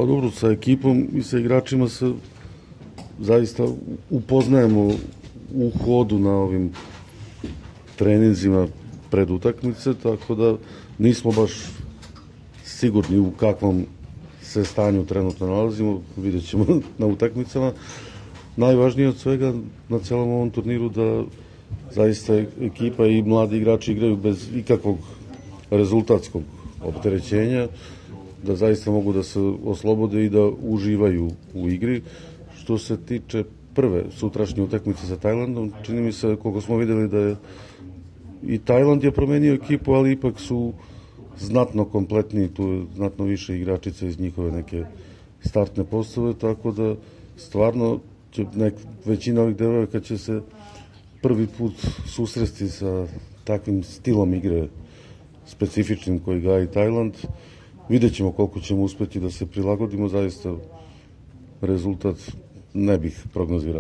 Pa dobro, sa ekipom i sa igračima se zaista upoznajemo u hodu na ovim treninzima pred utakmice, tako da nismo baš sigurni u kakvom se stanju trenutno nalazimo, vidjet ćemo na utakmicama. Najvažnije od svega na celom ovom turniru da zaista ekipa i mladi igrači igraju bez ikakvog rezultatskog opterećenja, da zaista mogu da se oslobode i da uživaju u igri. Što se tiče prve sutrašnje utakmice sa Tajlandom, čini mi se, koliko smo videli, da je i Tajland je promenio ekipu, ali ipak su znatno kompletniji, tu je znatno više igračica iz njihove neke startne postave, tako da stvarno će većina ovih devojaka će se prvi put susresti sa takvim stilom igre specifičnim koji gaji Tajland. Vidjet ćemo koliko ćemo uspeti da se prilagodimo, zaista rezultat ne bih prognozirao.